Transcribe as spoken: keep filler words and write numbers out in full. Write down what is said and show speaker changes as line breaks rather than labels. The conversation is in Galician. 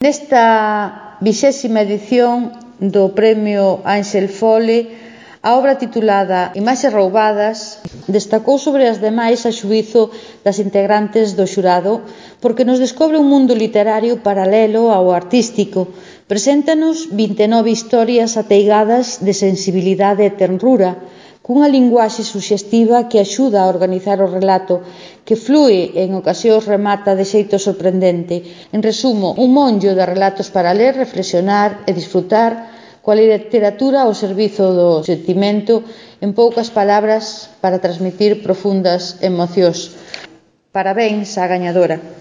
Nesta vixésima edición do Premio Ángel Fole, a obra titulada Imaxes roubadas destacou sobre as demais a xuízo das integrantes do xurado porque nos descobre un mundo literario paralelo ao artístico. Preséntanos vinte e nove historias ateigadas de sensibilidade e tenrura, cunha linguaxe suxestiva que axuda a organizar o relato, que flúe e en ocasións remata de xeito sorprendente. En resumo, un monllo de relatos para ler, reflexionar e disfrutar coa literatura ao servizo do sentimento, en poucas palabras, para transmitir profundas emocións. Parabéns á gañadora.